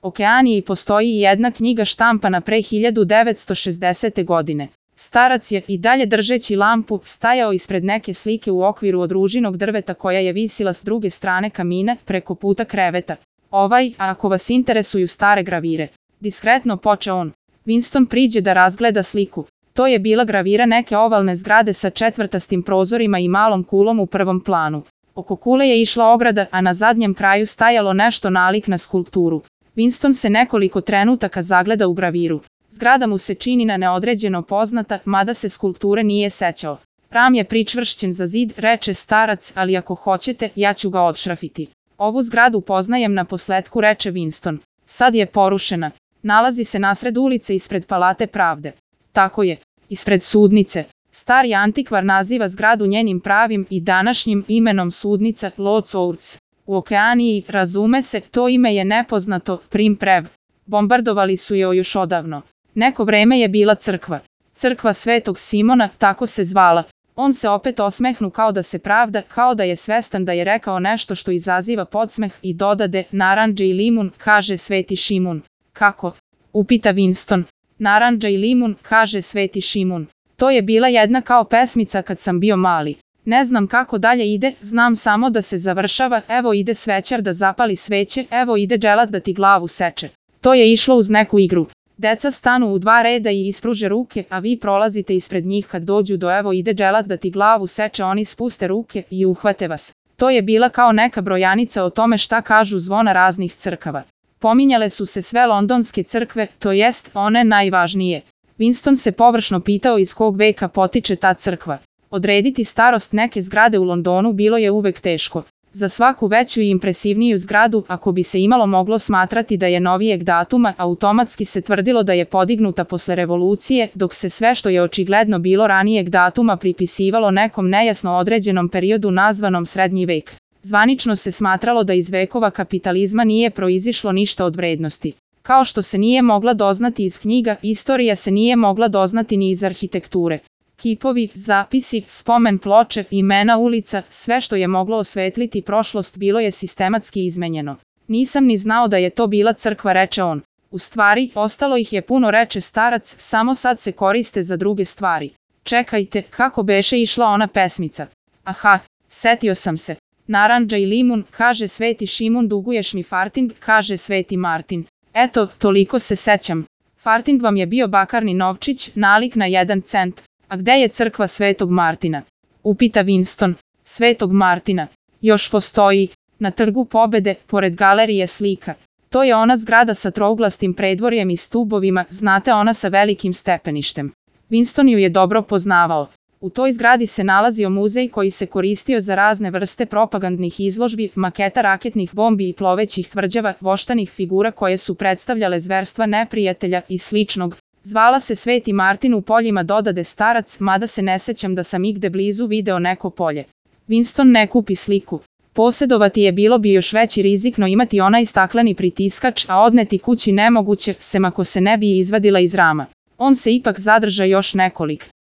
Okeaniji postoji i jedna knjiga štampana pre 1960. godine. Starac je, i dalje držeći lampu, stajao ispred neke slike u okviru od ružinog drveta koja je visila s druge strane kamina, preko puta kreveta. Ako vas interesuju stare gravire, diskretno počeo on. Winston priđe da razgleda sliku. To je bila gravira neke ovalne zgrade sa četvrtastim prozorima i malom kulom u prvom planu. Oko kule je išla ograda, a na zadnjem kraju stajalo nešto nalik na skulpturu. Winston se nekoliko trenutaka zagleda u graviru. Zgrada mu se čini na neodređeno poznata, mada se skulpture nije sećao. Ram je pričvršćen za zid, reče starac, ali ako hoćete, ja ću ga odšrafiti. Ovu zgradu poznajem na posletku, reče Winston. Sad je porušena. Nalazi se nasred ulice ispred Palate pravde. Tako je, ispred sudnice. Stari antikvar naziva zgradu njenim pravim i današnjim imenom sudnica Lord's Courts. U Okeaniji, razume se, to ime je nepoznato, prim prev. Bombardovali su je još odavno. Neko vreme je bila crkva. Crkva Svetog Simona, tako se zvala. On se opet osmehnu kao da se pravda, kao da je svestan da je rekao nešto što izaziva podsmeh i dodade, narandža i limun, kaže Sveti Šimun. Kako? Upita Winston. Narandža i limun, kaže Sveti Šimun. To je bila jedna kao pesmica kad sam bio mali. Ne znam kako dalje ide, znam samo da se završava, evo ide svećar da zapali sveće, evo ide dželat da ti glavu seče. To je išlo uz neku igru. Deca stanu u dva reda i ispruže ruke, a vi prolazite ispred njih kad dođu do evo ide dželat da ti glavu seče, oni spuste ruke i uhvate vas. To je bila kao neka brojanica o tome šta kažu zvona raznih crkava. Pominjale su se sve londonske crkve, to jest one najvažnije. Winston se površno pitao iz kog veka potiče ta crkva. Odrediti starost neke zgrade u Londonu bilo je uvek teško. Za svaku veću i impresivniju zgradu, ako bi se imalo moglo smatrati da je novijeg datuma, automatski se tvrdilo da je podignuta posle revolucije, dok se sve što je očigledno bilo ranijeg datuma pripisivalo nekom nejasno određenom periodu nazvanom srednji vek. Zvanično se smatralo da iz vekova kapitalizma nije proizišlo ništa od vrednosti. Kao što se nije mogla doznati iz knjiga, istorija se nije mogla doznati ni iz arhitekture. Kipovi, zapisi, spomen ploče, imena ulica, sve što je moglo osvetliti prošlost bilo je sistematski izmenjeno. Nisam ni znao da je to bila crkva, reče on. U stvari, ostalo ih je puno, reče starac, samo sad se koriste za druge stvari. Čekajte, kako beše išla ona pesmica? Aha, setio sam se. Narandža i limun, kaže Sveti Šimun, duguješ mi farting, kaže Sveti Martin. Eto, toliko se sećam. Farting vam je bio bakarni novčić, nalik na 1 cent. A gde je crkva Svetog Martina? Upita Winston. Svetog Martina. Još postoji. Na Trgu Pobede, pored galerije slika. To je ona zgrada sa trouglastim predvorjem i stubovima, znate, ona sa velikim stepeništem. Winston ju je dobro poznavao. U toj zgradi se nalazio muzej koji se koristio za razne vrste propagandnih izložbi, maketa raketnih bombi i plovećih tvrđava, voštanih figura koje su predstavljale zverstva neprijatelja i sličnog. Zvala se Sveti Martin u poljima, dodade starac, mada se ne sećam da sam igde blizu video neko polje. Winston ne kupi sliku. Posedovati je bilo bi još veći rizik, no imati onaj stakleni pritiskač, a odneti kući nemoguće, sem ako se ne bi izvadila iz rama. On se ipak zadrža još nekolik